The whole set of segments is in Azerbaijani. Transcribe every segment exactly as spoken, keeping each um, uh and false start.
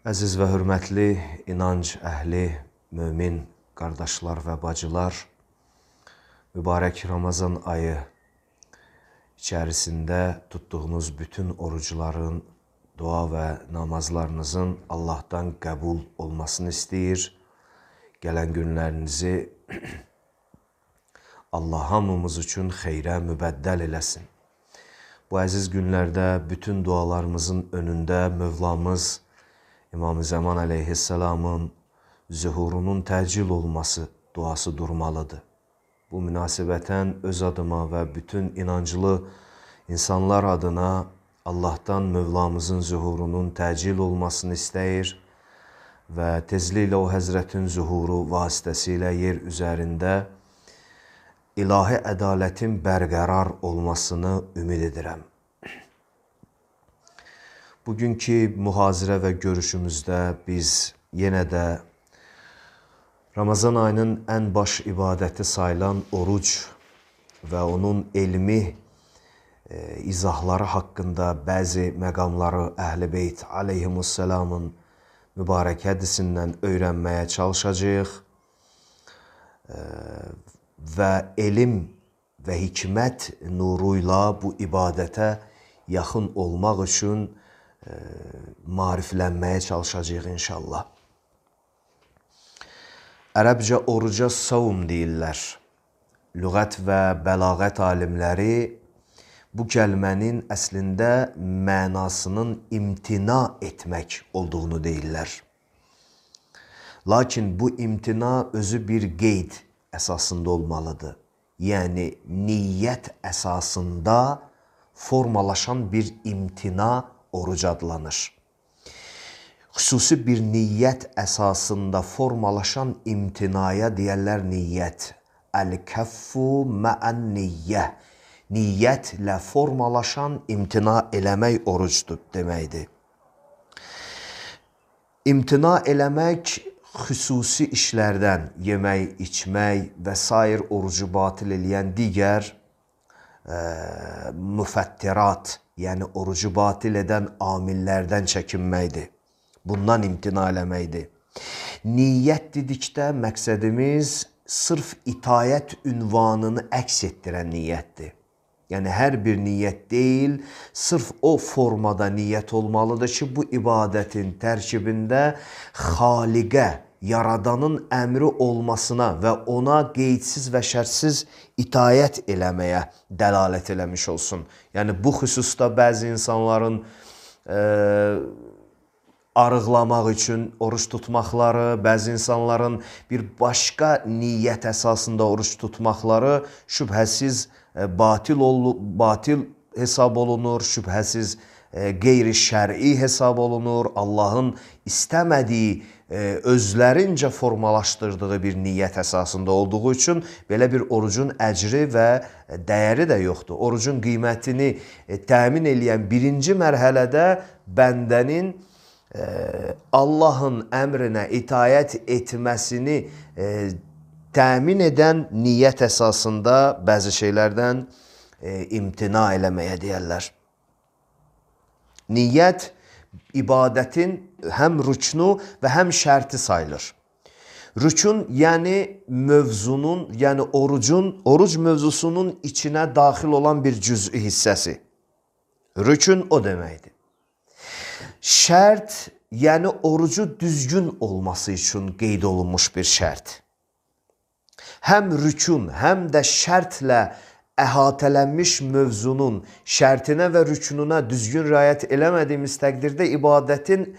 Əziz və hörmətli inanc əhli, mömin qardaşlar və bacılar, mübarək Ramazan ayı içərisində tutduğunuz bütün orucların, dua və namazlarınızın Allahdan qəbul olmasını istəyir. Gələn günlərinizi Allah hamımız üçün xeyrə mübəddəl eləsin. Bu əziz günlərdə bütün dualarımızın önündə Mövlamız İmam-ı Zaman əleyhisselamın zühurunun təcil olması duası durmalıdır. Bu münasibətən öz adıma və bütün inanclı insanlar adına Allahdan Mövlamızın zühurunun təcil olmasını istəyir və tezliklə o Həzrətin zühuru vasitəsilə yer üzərində ilahi ədalətin bərqərar olmasını ümid edirəm. Bugünkü mühazirə və görüşümüzdə biz yenə də Ramazan ayının ən baş ibadəti sayılan oruc və onun elmi e, izahları haqqında bəzi məqamları Əhl-i Beyt aleyhimussalamın mübarək hədisindən öyrənməyə çalışacağıq e, və elm və hikmət nuruyla bu ibadətə yaxın olmaq üçün e, mariflənməyə çalışacağıq inşallah. Ərəbcə oruca savum deyirlər. Lüğət və bəlağət alimləri bu kəlmənin əslində mənasının imtina etmək olduğunu deyirlər. Lakin bu imtina özü bir qeyd əsasında olmalıdır. Yəni niyyət əsasında formalaşan bir imtina oruc adlanır. Xüsusi bir niyyət əsasında formalaşan imtinaya deyərlər niyyət. Əl-kəffu məən niyyə. Niyyətlə formalaşan imtina eləmək orucdur deməkdir. İmtina eləmək xüsusi işlərdən, yemək, içmək və sair orucu batil eləyən digər e, müfəttirat, yəni orucu batil edən amillərdən çəkinməkdir. Bundan imtina eləməkdir. Niyyət dedikdə məqsədimiz sırf itayət ünvanını əks etdirən niyyətdir. Yəni hər bir niyyət deyil, sırf o formada niyyət olmalıdır ki, bu ibadətin tərkibində xaliqə, yaradanın əmri olmasına və ona qeydsiz və şərtsiz itayət eləməyə dəlalət eləmiş olsun. Yəni bu xüsusda bəzi insanların e, arıqlamaq üçün oruç tutmaqları, bəzi insanların bir başqa niyyət əsasında oruç tutmaqları şübhəsiz e, batil, ol, batil hesab olunur, şübhəsiz e, qeyri-şər'i hesab olunur. Allahın istəmədiyi, e, özlərincə formalaşdırdığı bir niyyət əsasında olduğu üçün belə bir orucun əcri və dəyəri də yoxdur. Orucun qiymətini e, təmin eləyən birinci mərhələdə bəndənin Allahın əmrinə itayət etməsini e, təmin edən niyyət əsasında bəzi şeylərdən e, imtina eləməyə deyərlər. Niyyət ibadətin həm rüknu və həm şərti sayılır. Rükun yəni mövzunun, yəni orucun, oruc mövzusunun içinə daxil olan bir cüz'i hissəsi. Rükun o deməkdir. Şərt, yəni orucu düzgün olması üçün qeyd olunmuş bir şərt. Həm rükun, həm də şərtlə əhatələnmiş mövzunun şərtinə və rükununa düzgün riayət eləmədiyimiz təqdirdə ibadətin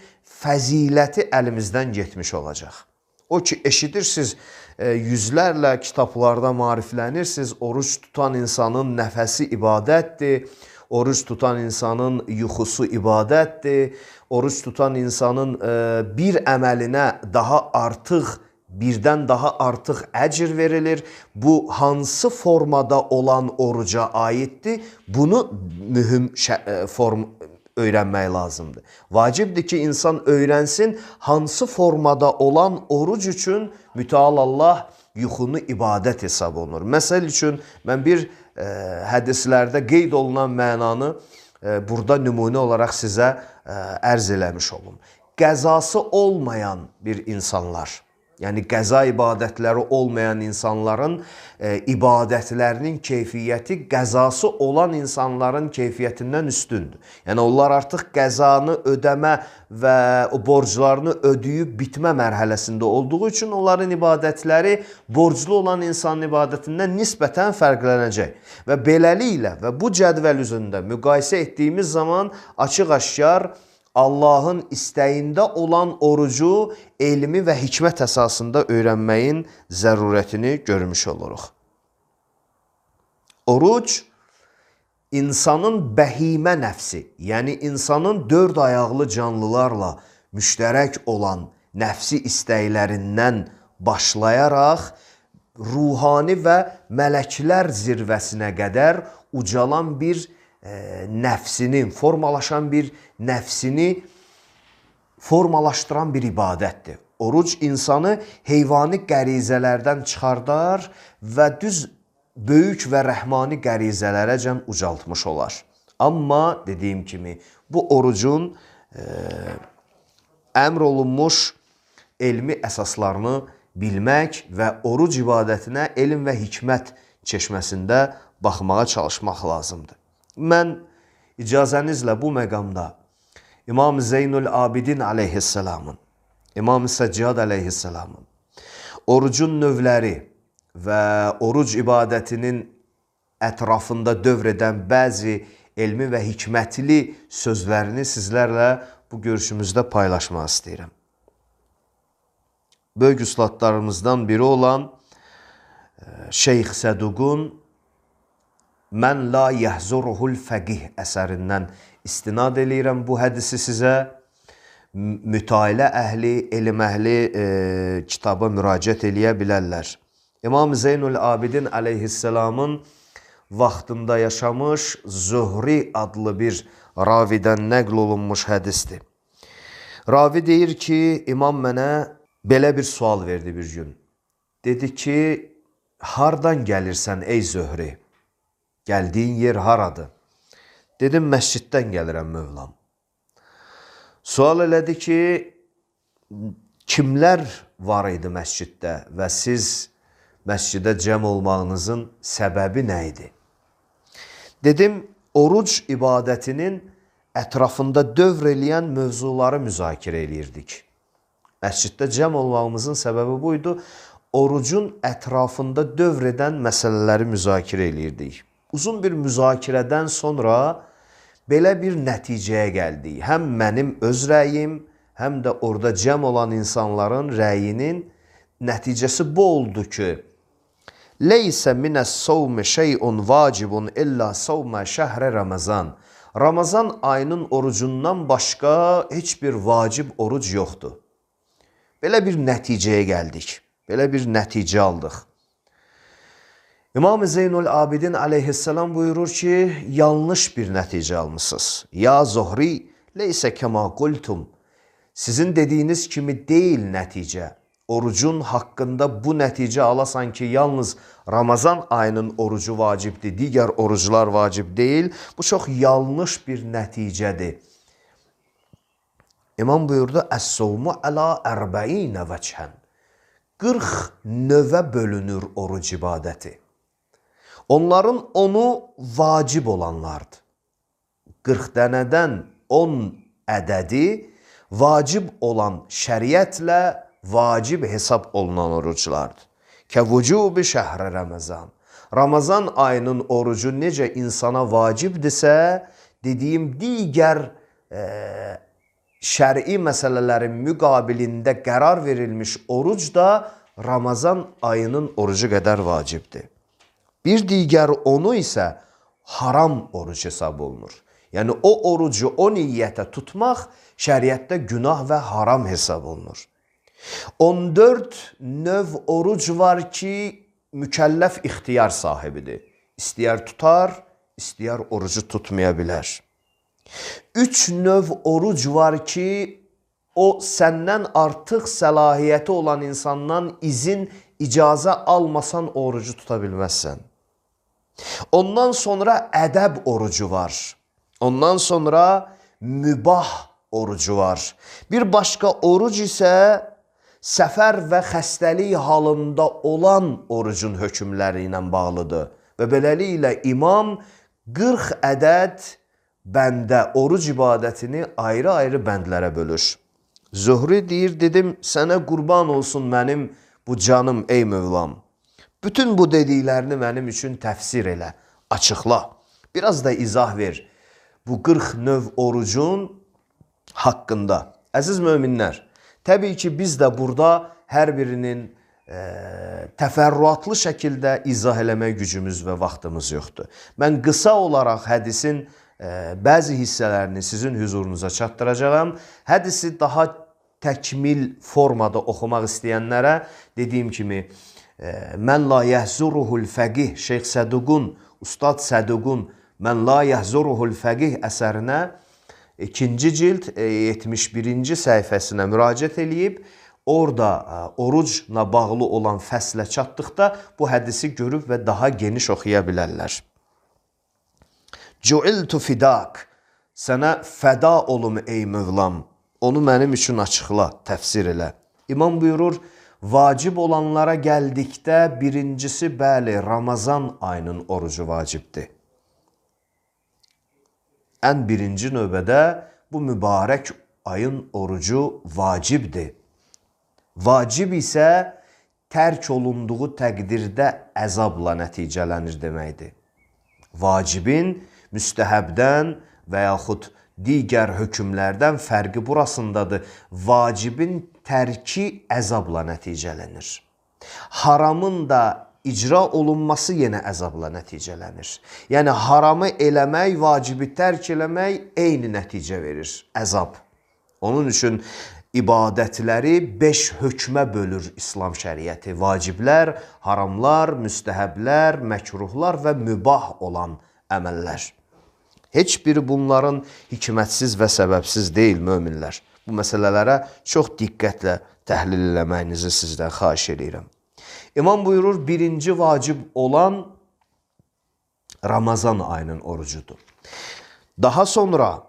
fəziləti əlimizdən getmiş olacaq. O ki, eşidirsiniz, yüzlərlə kitablarda mariflənirsiniz, oruç tutan insanın nəfəsi ibadətdir, oruç tutan insanın yuxusu ibadətdir, oruç tutan insanın e, bir əməlinə daha artıq, birdən daha artıq əcr verilir. Bu hansı formada olan oruca aiddir? Bunu mühüm form öyrənmək lazımdır. Vacibdir ki, insan öyrənsin hansı formada olan oruc üçün mütəal Allah yuxunu ibadət hesab olunur. Məsəl üçün, mən bir e, hədislərdə qeyd olunan mənanı e, burada nümunə olaraq sizə ə, ərz eləmiş olum. qəzası olmayan bir insanlar, yəni qəza ibadətləri olmayan insanların e, ibadətlərinin keyfiyyəti qəzası olan insanların keyfiyyətindən üstündür. Yəni onlar artıq qəzanı ödəmə və o borclarını ödəyib bitmə mərhələsində olduğu üçün onların ibadətləri borclu olan insanın ibadətindən nisbətən fərqlənəcək. Və beləliklə və bu cədvəl üzrində müqayisə etdiyimiz zaman açıq-aşkar Allahın istəyində olan orucu elmi və hikmət əsasında öyrənməyin zərurətini görmüş oluruq. Oruc, insanın bəhimə nəfsi, yəni insanın dörd ayaqlı canlılarla müştərək olan nəfsi istəklərindən başlayaraq, ruhani və mələklər zirvəsinə qədər ucalan bir e, nəfsini, formalaşan bir nəfsini formalaşdıran bir ibadətdir. Oruc insanı heyvani qərizələrdən çıxardar və düz böyük və rəhmani qərizələrəcən ucaltmış olar. Amma dediyim kimi bu orucun e, əmr olunmuş elmi əsaslarını bilmək və oruc ibadətinə elm və hikmət çeşməsində baxmağa çalışmaq lazımdır. Mən icazənizlə bu məqamda İmam Zeynul Abidin aleyhisselamın, İmam Səccad aleyhisselamın orucun növləri və oruc ibadətinin ətrafında dövr edən bəzi elmi və hikmətli sözlərini sizlərlə bu görüşümüzdə paylaşmaq istəyirəm. Böyük üstadlarımızdan biri olan Şeyx Səduqun Mən la yəhzuruhul fəqih əsərindən istinad eləyirəm bu hədisi sizə. Mütailə əhli, elm əhli e, kitaba müraciət eləyə bilərlər. İmam Zeynul Abidin aleyhisselamın vaxtında yaşamış Zuhri adlı bir ravidən nəql olunmuş hədisdir. Ravi deyir ki, imam mənə belə bir sual verdi bir gün. Dedi ki, hardan gəlirsən ey Zöhri? Gəldiyin yer haradır? Dedim, məsciddən gəlirəm Mövlam. Sual elədi ki, kimlər var idi məsciddə və siz məscidə cəm olmağınızın səbəbi nə idi? Dedim, oruc ibadətinin ətrafında dövr eləyən mövzuları müzakirə eləyirdik. Məsciddə cəm olmağımızın səbəbi buydu. Orucun ətrafında dövr edən məsələləri müzakirə eləyirdik. Uzun bir müzakirədən sonra belə bir nəticəyə gəldik. Həm mənim öz rəyim, həm də orada cəm olan insanların rəyinin nəticəsi bu oldu ki, Leysə minəs-savmi şey'un vacibun illa savmə şəhrə Ramazan. Ramazan ayının orucundan başqa heç bir vacib oruc yoxdur. Belə bir nəticəyə gəldik. Belə bir nəticə aldıq. İmam Zeynul Abidin aleyhisselam buyurur ki, yanlış bir nəticə almışsınız. Ya Zuhri, leysə kəma qultum. Sizin dediyiniz kimi deyil nəticə. Orucun haqqında bu nəticə alasan ki, yalnız Ramazan ayının orucu vacibdir, digər oruclar vacib deyil. Bu çox yanlış bir nəticədir. İmam buyurdu, Əs-savmu əla ərbəinə vəchən. qırx növə bölünür oruc ibadəti. Onların onu vacib olanlardır. qırx dənədən on ədədi vacib olan şəriətlə vacib hesab olunan oruclardır. Kəvücubi şəhrə Ramazan. Ramazan ayının orucu necə insana vacibdirsə, dediyim digər e, şəri məsələlərin müqabilində qərar verilmiş oruc da Ramazan ayının orucu qədər vacibdir. Bir digər onu isə haram oruc hesab olunur. Yəni o orucu o niyyətə tutmaq şəriətdə günah və haram hesab olunur. on dörd növ oruc var ki, mükəlləf ixtiyar sahibidir. İstəyər tutar, istəyər orucu tutmaya bilər. Üç növ oruc var ki, o səndən artıq səlahiyyəti olan insandan izin, icazə almasan orucu tuta bilməzsən. Ondan sonra ədəb orucu var. Ondan sonra mübah orucu var. Bir başqa oruc isə səfər və xəstəlik halında olan orucun hökmləri ilə bağlıdır. Və beləliklə imam qırx ədəd bəndə oruc ibadətini ayrı-ayrı bəndlərə bölür. Zuhri deyir, dedim, sənə qurban olsun mənim bu canım ey Mövlam. Bütün bu dediklərini mənim üçün təfsir elə, açıqla. Biraz da izah ver bu qırx növ orucun haqqında. Əziz möminlər, təbii ki, biz də burada hər birinin e, təfərrüatlı şəkildə izah eləmək gücümüz və vaxtımız yoxdur. Mən qısa olaraq hədisin e, bəzi hissələrini sizin hüzurunuza çatdıracağam. Hədisi daha təkmil formada oxumaq istəyənlərə dediyim kimi e, Mən la yəhzuruhul fəqih Şeyx Səduqun, Ustad Səduqun Mən la yəhzuruhul fəqih əsərinə ikinci cild yetmiş birinci səhifəsinə müraciət eləyib, orada orucla bağlı olan fəslə çatdıqda bu hədisi görüb və daha geniş oxuya bilərlər. Cu'iltu fidak, sənə fəda olum ey Mövlam, onu mənim üçün açıqla, təfsir elə. İmam buyurur, vacib olanlara gəldikdə birincisi, bəli, Ramazan ayının orucu vacibdir. Ən birinci növbədə bu mübarək ayın orucu vacibdir. Vacib isə tərk olunduğu təqdirdə əzabla nəticələnir deməkdir. Vacibin müstəhəbdən və yaxud digər hökmlərdən fərqi burasındadır. Vacibin tərki əzabla nəticələnir. Haramın da icra olunması yenə əzabla nəticələnir. Yəni, haramı eləmək, vacibi tərk eləmək eyni nəticə verir, əzab. Onun üçün ibadətləri beş hökmə bölür İslam şəriəti. Vaciblər, haramlar, müstəhəblər, məkruhlar və mübah olan əməllər. Heç biri bunların hikmətsiz və səbəbsiz deyil, möminlər. Bu məsələlərə çox diqqətlə təhlil eləməyinizi sizdən xahiş edirəm. İmam buyurur, birinci vacib olan Ramazan ayının orucudur. Daha sonra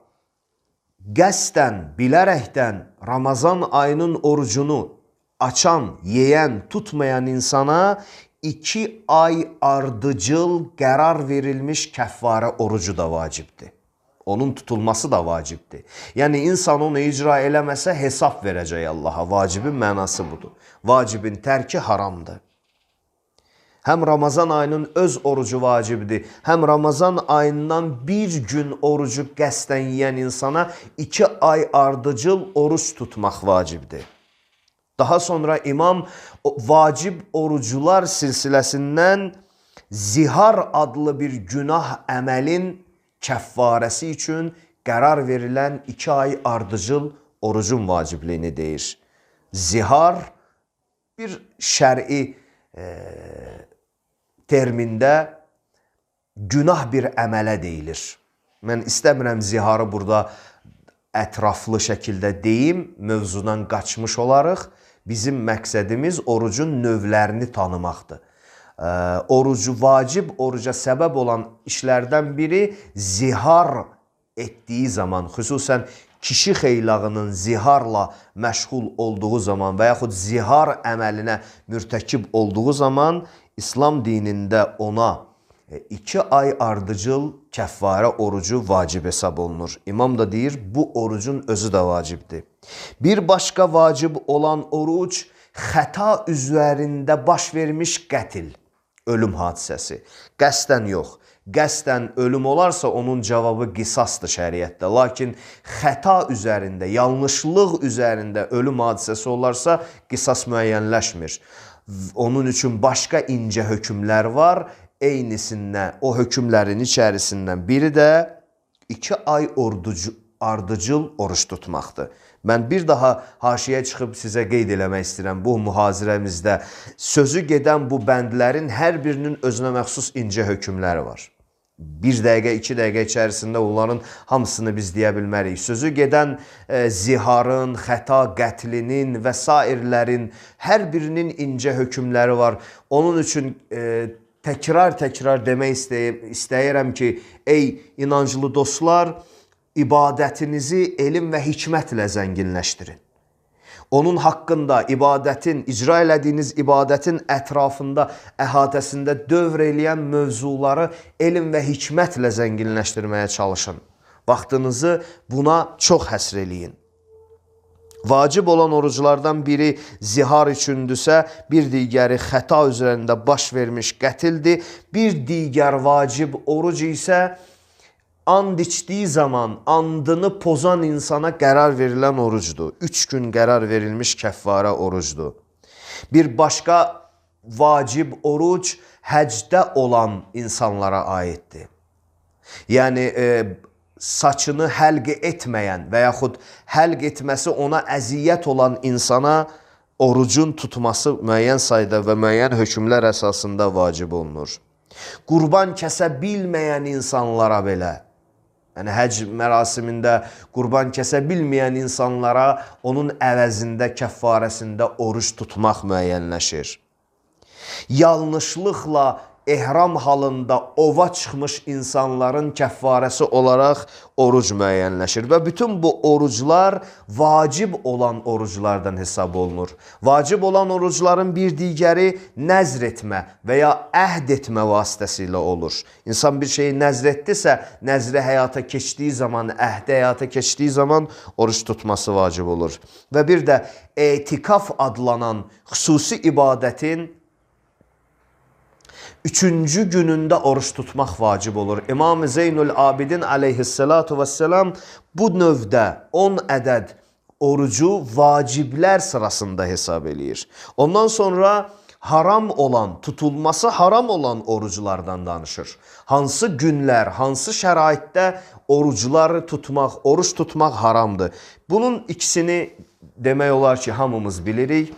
qəsdən, bilərəkdən Ramazan ayının orucunu açan, yeyən, tutmayan insana iki ay ardıcıl qərar verilmiş kəffarə orucu da vacibdir. Onun tutulması da vacibdir. Yəni, insan onu icra eləməsə hesab verəcək Allaha. Vacibin mənası budur. Vacibin tərki haramdır. Həm Ramazan ayının öz orucu vacibdir, həm Ramazan ayından bir gün orucu qəsdən yeyən insana iki ay ardıcıl oruç tutmaq vacibdir. Daha sonra imam vacib orucular silsiləsindən zihar adlı bir günah əməlin kəffarəsi üçün qərar verilən iki ay ardıcıl orucun vacibliyini deyir. Zihar bir şəri e, termində günah bir əmələ deyilir. Mən istəmirəm ziharı burada ətraflı şəkildə deyim, mövzudan qaçmış olarıq. Bizim məqsədimiz orucun növlərini tanımaqdır. Ee, orucu vacib, oruca səbəb olan işlərdən biri zihar etdiyi zaman, xüsusən kişi xeylağının ziharla məşğul olduğu zaman və yaxud zihar əməlinə mürtəkib olduğu zaman İslam dinində ona iki ay ardıcıl kəffarə orucu vacib hesab olunur. İmam da deyir, bu orucun özü də vacibdir. Bir başqa vacib olan oruc xəta üzərində baş vermiş qətil, ölüm hadisəsi. Qəsdən yox. Qəsdən ölüm olarsa onun cavabı qisasdır şəriətdə. Lakin xəta üzərində, yanlışlıq üzərində ölüm hadisəsi olarsa qisas müəyyənləşmir. Onun üçün başqa incə hökmlər var. Eynisində o hökmlərin içərisindən biri də iki ay orducu, ardıcıl oruç tutmaqdır. Mən bir daha haşiyə çıxıb sizə qeyd eləmək istəyirəm. Bu mühazirəmizdə sözü gedən bu bəndlərin hər birinin özünə məxsus incə hökmləri var. Bir dəqiqə, iki dəqiqə içərisində onların hamısını biz deyə bilmərik. Sözü gedən e, ziharın, xəta qətlinin və sairlərin hər birinin incə hökmləri var. Onun üçün e, təkrar-təkrar demək istəyirəm ki, ey inanclı dostlar, ibadətinizi elm və hikmətlə zənginləşdirin. Onun haqqında ibadətin, icra elədiyiniz ibadətin ətrafında, əhatəsində dövr eləyən mövzuları elm və hikmətlə zənginləşdirməyə çalışın. Vaxtınızı buna çox həsr eləyin. Vacib olan oruclardan biri zihar üçündürsə, bir digəri xəta üzərində baş vermiş qətildir. Bir digər vacib oruc isə and içdiyi zaman andını pozan insana qərar verilən orucdur. Üç gün qərar verilmiş kəffarə orucdur. Bir başqa vacib oruc həcdə olan insanlara aiddir. Yəni, e, saçını həlq etməyən və yaxud həlq etməsi ona əziyyət olan insana orucun tutması müəyyən sayda və müəyyən hökmlər əsasında vacib olunur. Qurban kəsə bilməyən insanlara belə, yəni həc mərasimində qurban kəsə bilməyən insanlara onun əvəzində, kəffarəsində oruc tutmaq müəyyənləşir. Yanlışlıqla ehram halında ova çıxmış insanların kəffarəsi olaraq oruc müəyyənləşir və bütün bu oruclar vacib olan oruclardan hesab olunur. Vacib olan orucların bir digəri nəzr etmə və ya əhd etmə vasitəsilə olur. İnsan bir şeyi nəzr etdisə, nəzri həyata keçdiyi zaman, əhdi həyata keçdiyi zaman oruc tutması vacib olur. Və bir də etikaf adlanan xüsusi ibadətin üçüncü günündə oruç tutmaq vacib olur. İmam-ı Zeynül Abidin aleyhissalatu vesselam bu növdə on ədəd orucu vaciblər sırasında hesab eləyir. Ondan sonra haram olan, tutulması haram olan oruclardan danışır. Hansı günlər, hansı şəraitdə orucları tutmaq, oruç tutmaq haramdır. Bunun ikisini demək olar ki, hamımız bilirik.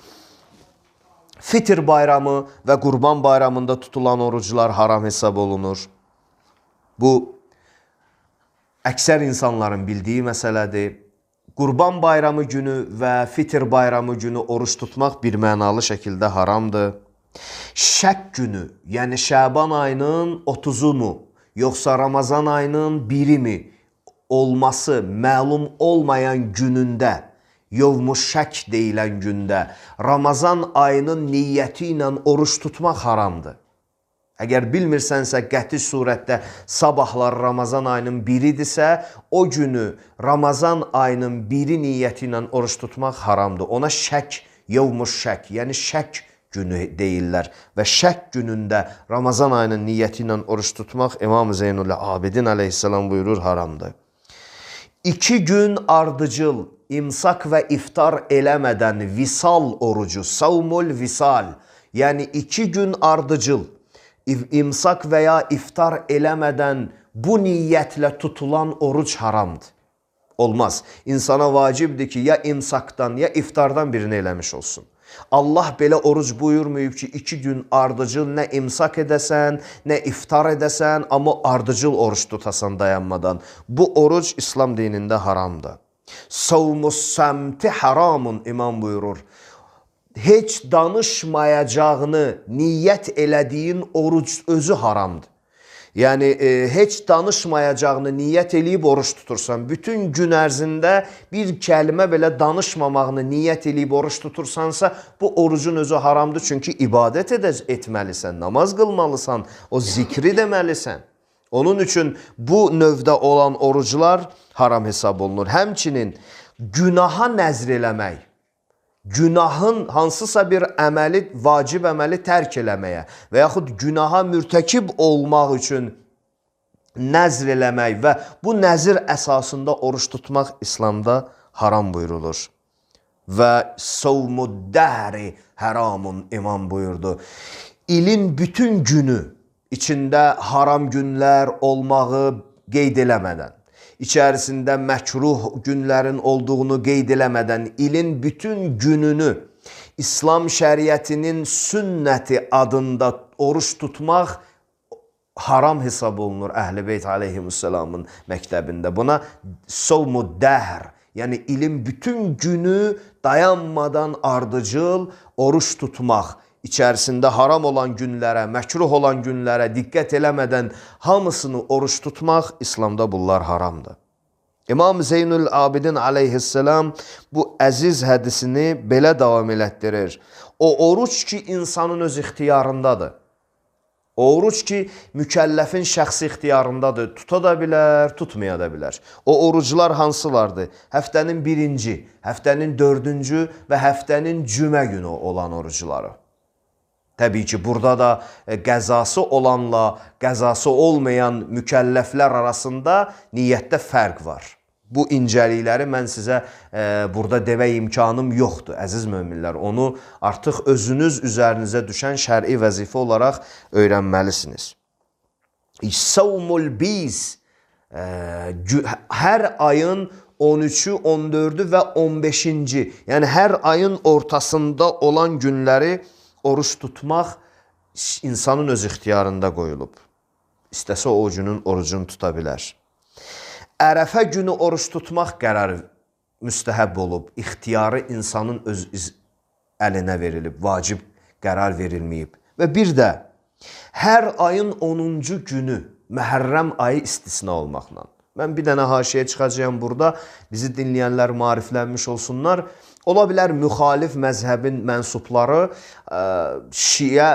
Fitr bayramı və Qurban bayramında tutulan oruclar haram hesab olunur. Bu, əksər insanların bildiyi məsələdir. Qurban bayramı günü və Fitr bayramı günü oruç tutmaq bir mənalı şəkildə haramdır. Şək günü, yəni Şəban ayının otuzu mu, yoxsa Ramazan ayının biri mi olması məlum olmayan günündə, yovmuş şək deyilən gündə Ramazan ayının niyyəti ilə oruç tutmaq haramdır. Əgər bilmirsənsə, qəti surətdə sabahlar Ramazan ayının biridirsə, o günü Ramazan ayının biri niyyəti ilə oruç tutmaq haramdır. Ona şək, yovmuş şək, yəni şək günü deyirlər. Və şək günündə Ramazan ayının niyyəti ilə oruç tutmaq İmam-ı Zeynul Abidin aleyhissalam buyurur haramdır. İki gün ardıcıl, imsak və iftar eləmədən visal orucu, savmul visal, yəni iki gün ardıcıl, imsak və ya iftar eləmədən bu niyyətlə tutulan oruc haramdır. Olmaz. İnsana vacibdir ki, ya imsakdan, ya iftardan birini eləmiş olsun. Allah belə oruc buyurmayıb ki, iki gün ardıcıl nə imsak edəsən, nə iftar edəsən, amma ardıcıl oruç tutasan dayanmadan. Bu oruc İslam dinində haramdır. Savmus səmti haramun imam buyurur. Heç danışmayacağını niyyət elədiyin oruc özü haramdır. Yəni, e, heç danışmayacağını niyyət eləyib oruç tutursan, bütün gün ərzində bir kəlmə belə danışmamağını niyyət eləyib oruç tutursansa, bu orucun özü haramdır. Çünki ibadət etməlisən, namaz qılmalısan, o zikri deməlisən. Onun üçün bu növdə olan oruclar haram hesab olunur. Həmçinin günaha nəzr eləmək, günahın hansısa bir əməli, vacib əməli tərk eləməyə və yaxud günaha mürtəkib olmaq üçün nəzr eləmək və bu nəzir əsasında oruç tutmaq İslamda haram buyurulur. Və savmuddəhri haramun imam buyurdu. İlin bütün günü içində haram günlər olmağı qeyd eləmədən, İçərisində məkruh günlərin olduğunu qeyd eləmədən ilin bütün gününü İslam şəriətinin sünnəti adında oruç tutmaq haram hesab olunur Əhl-i Beyt aleyhisselamın məktəbində. Buna savmuddəhr, yəni ilin bütün günü dayanmadan ardıcıl oruç tutmaq, İçərisində haram olan günlərə, məkruh olan günlərə diqqət eləmədən hamısını oruç tutmaq İslamda bunlar haramdır. İmam Zeynül Abidin aleyhisselam bu əziz hədisini belə davam elətdirir. O oruç ki, insanın öz ixtiyarındadır. O oruç ki, mükəlləfin şəxsi ixtiyarındadır. Tuta da bilər, tutmaya da bilər. O oruclar hansılardır? Həftənin birinci, həftənin dördüncü və həftənin cümə günü olan orucları. Təbii ki, burada da qəzası olanla qəzası olmayan mükəlləflər arasında niyyətdə fərq var. Bu incəlikləri mən sizə e, burada demək imkanım yoxdur, əziz möminlər. Onu artıq özünüz üzərinizə düşən şəri vəzifə olaraq öyrənməlisiniz. Savmul biz e, hər ayın on üçü, on dördü və on beşinci, yəni hər ayın ortasında olan günləri oruç tutmaq insanın öz ixtiyarında qoyulub. İstəsə o günün orucunu tuta bilər. Ərəfə günü oruç tutmaq qərarı müstəhəb olub, ixtiyarı insanın öz əlinə verilib, vacib qərar verilməyib. Və bir də, hər ayın onuncu günü Məhərrəm ayı istisna olmaqla. Mən bir dənə haşiyə çıxacağım burada, bizi dinləyənlər mariflənmiş olsunlar. Ola bilər müxalif məzhəbin mənsubları Şiə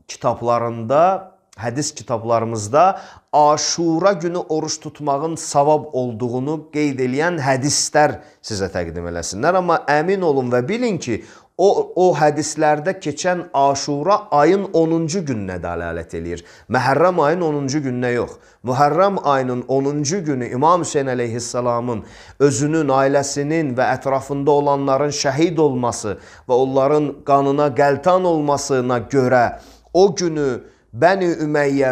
kitablarında, hədis kitablarımızda Aşura günü oruç tutmağın savab olduğunu qeyd edən hədislər sizə təqdim eləsinlər. Amma əmin olun və bilin ki, o, o hədislərdə keçən Aşura ayın onuncu gününə dəlalət eləyir. Məhərrəm ayın onuncu gününə yox. Mühərrəm ayının onuncu günü İmam Hüseyin əleyhissalamın özünün, ailəsinin və ətrafında olanların şəhid olması və onların qanına qəltan olmasına görə o günü Bəni Ümeyyə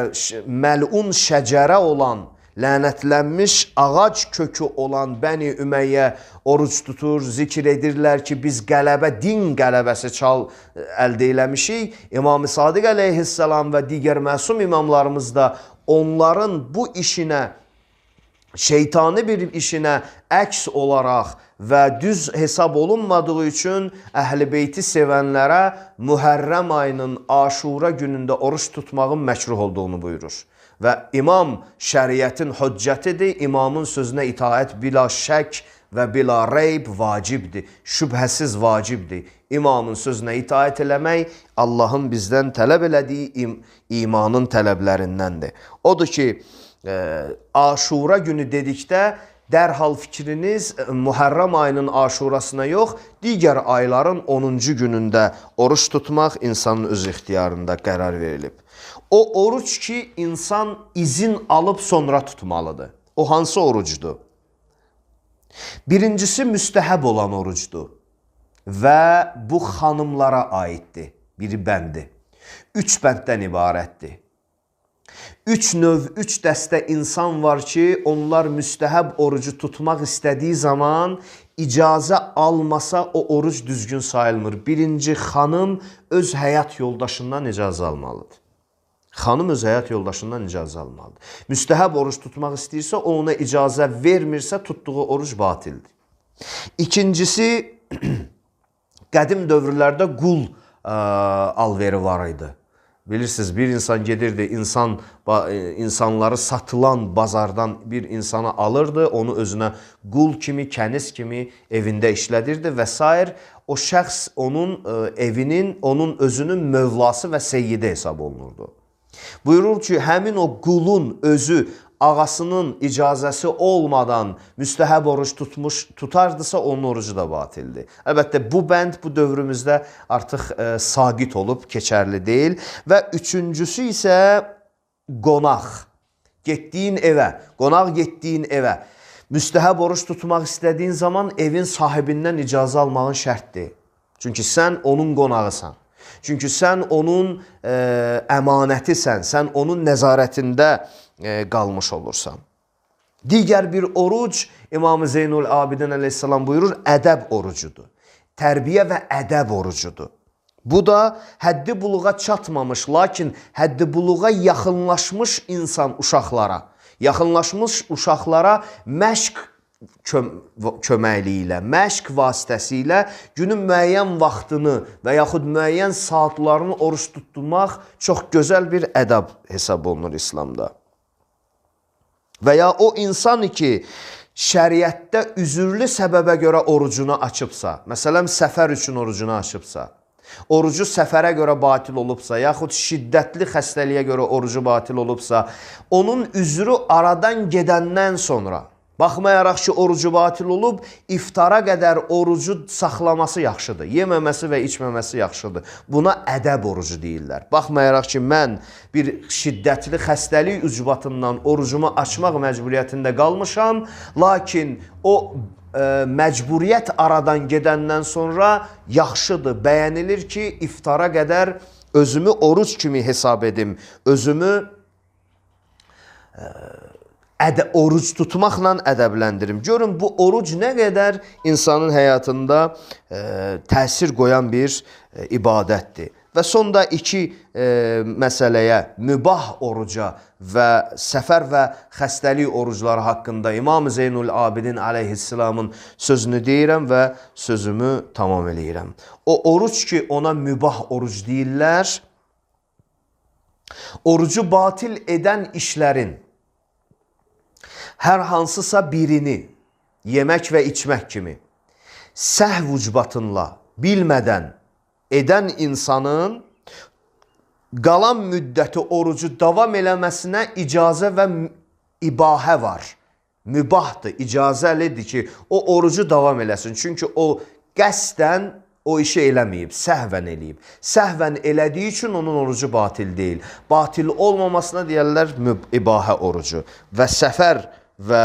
məlun şəcərə olan, lənətlənmiş ağac kökü olan Bəni Ümeyyə oruç tutur, zikr edirlər ki, biz qələbə, din qələbəsi çal əldə eləmişik. İmam-ı Sadiq əleyhissalam və digər məsum imamlarımız da onların bu işinə, şeytani bir işinə əks olaraq və düz hesab olunmadığı üçün Əhl-i Beyti sevənlərə Mühərrəm ayının Aşura günündə oruç tutmağın məkruh olduğunu buyurur. Və imam şəriətin hüccətidir, imamın sözünə itaət bila şək və bila reyb vacibdir, şübhəsiz vacibdir. İmamın sözünə itaət eləmək Allahın bizdən tələb elədiyi im imanın tələblərindəndir. Odur ki, Aşura günü dedikdə dərhal fikriniz Mühərrəm ayının Aşurasına yox, digər ayların onuncu günündə oruç tutmaq insanın öz ixtiyarında qərar verilib. O oruç ki, insan izin alıb sonra tutmalıdır. O hansı orucdur? Birincisi müstəhəb olan orucdur və bu xanımlara aiddir. Biri bəndi. Üç bənddən ibarətdir. Üç növ, üç dəstə insan var ki, onlar müstəhəb orucu tutmaq istədiyi zaman icazə almasa o oruc düzgün sayılmır. Birinci, xanım öz həyat yoldaşından icazə almalıdır. Xanım öz həyat yoldaşından icazə almalıdır. Müstəhəb oruç tutmaq istəyirsə, o ona icazə vermirsə, tutduğu oruc batildir. İkincisi, qədim dövrlərdə qul ə, alveri var idi. Bilirsiniz, bir insan gedirdi, insan insanları satılan bazardan bir insanı alırdı, onu özünə qul kimi, kəniz kimi evində işlədirdi və s. O şəxs onun evinin, onun özünün mövlası və seyyidi hesab olunurdu. Buyurur ki, həmin o qulun özü ağasının icazəsi olmadan müstəhəb oruç tutmuş, tutardısa onun orucu da batildir. Əlbəttə, bu bənd bu dövrümüzdə artıq e, saqit olub, keçərli deyil. Və üçüncüsü isə qonaq. Getdiyin evə, qonaq getdiyin evə. Müstəhəb oruç tutmaq istədiyin zaman evin sahibindən icazə almağın şərtdir. Çünki sən onun qonağısan. Çünki sən onun e, əmanətisən, sən onun nəzarətində e, qalmış olursan. Digər bir oruc, İmam-ı Zeynul Abidin əleyhissalam buyurur, ədəb orucudur. Tərbiyə və ədəb orucudur. Bu da həddi buluğa çatmamış, lakin həddi buluğa yaxınlaşmış insan uşaqlara, yaxınlaşmış uşaqlara məşq köməkliyi ilə, məşq vasitəsilə günün müəyyən vaxtını və yaxud müəyyən saatlarını oruç tutmaq çox gözəl bir ədəb hesab olunur İslamda. Və ya o insan ki, şəriətdə üzürlü səbəbə görə orucunu açıbsa, məsələn, səfər üçün orucunu açıbsa, orucu səfərə görə batil olubsa, yaxud şiddətli xəstəliyə görə orucu batil olubsa, onun üzrü aradan gedəndən sonra, baxmayaraq ki, orucu batil olub, iftara qədər orucu saxlaması yaxşıdır. Yeməməsi və içməməsi yaxşıdır. Buna ədəb orucu deyirlər. Baxmayaraq ki, mən bir şiddətli xəstəlik ucbatından orucumu açmaq məcburiyyətində qalmışam, lakin o e, məcburiyyət aradan gedəndən sonra yaxşıdır, bəyənilir ki, iftara qədər özümü oruc kimi hesab edim, özümü e, Ədə, oruc tutmaqla ədəbləndirim. Görün, bu oruc nə qədər insanın həyatında e, təsir qoyan bir e, ibadətdir. Və sonda iki e, məsələyə, mübah oruca və səfər və xəstəlik orucları haqqında İmam Zeynul Abidin aleyhisselamın sözünü deyirəm və sözümü tamam eləyirəm. O oruc ki, ona mübah oruc deyirlər, orucu batil edən işlərin hər hansısa birini, yemək və içmək kimi, səhv ucbatınla, bilmədən edən insanın qalan müddəti orucu davam eləməsinə icazə və ibahə var. Mübahdır, icazəlidir ki, o orucu davam eləsin. Çünki o qəsdən o işi eləməyib, səhvən eləyib. Səhvən elədiyi üçün onun orucu batil deyil. Batil olmamasına deyərlər ibahə orucu. Və səfər və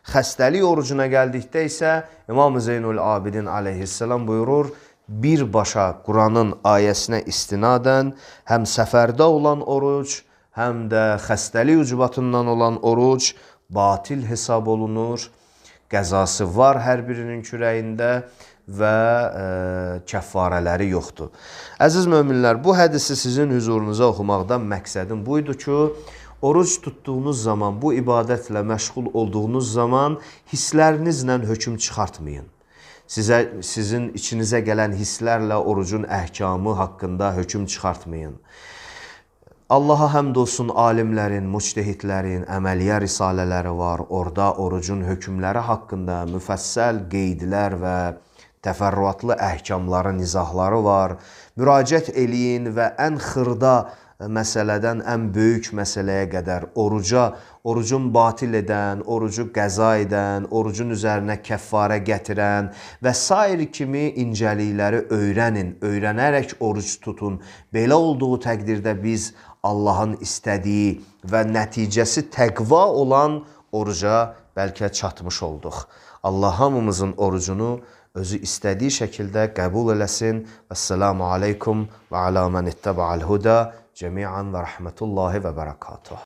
xəstəlik orucuna gəldikdə isə İmam Zeynul Abidin aleyhisselam buyurur, birbaşa Quranın ayəsinə istinadən həm səfərdə olan oruc, həm də xəstəlik ucbatından olan oruc batil hesab olunur, qəzası var hər birinin kürəyində və e, kəffarələri yoxdur. Əziz möminlər, bu hədisi sizin hüzurunuza oxumaqdan məqsədim buydu ki, oruc tutduğunuz zaman, bu ibadətlə məşğul olduğunuz zaman hisslərinizlə hökm çıxartmayın. Sizə, sizin içinizə gələn hisslərlə orucun əhkamı haqqında hökm çıxartmayın. Allaha həmd olsun, alimlərin, müctehidlərin əməliyyə risalələri var. Orada orucun hökmləri haqqında müfəssəl qeydlər və təfərrüatlı əhkamların izahları var. Müraciət eləyin və ən xırda məsələdən ən böyük məsələyə qədər oruca, orucun batil edən, orucu qəza edən, orucun üzərinə kəffarə gətirən və sair kimi incəlikləri öyrənin, öyrənərək oruc tutun. Belə olduğu təqdirdə biz Allahın istədiyi və nəticəsi təqva olan oruca bəlkə çatmış olduq. Allah hamımızın orucunu özü istədiyi şəkildə qəbul eləsin. Əssalamu aleykum və alə mən ittəbə'al huda cəmiən və rəhmətullahi və bərəkatuhu.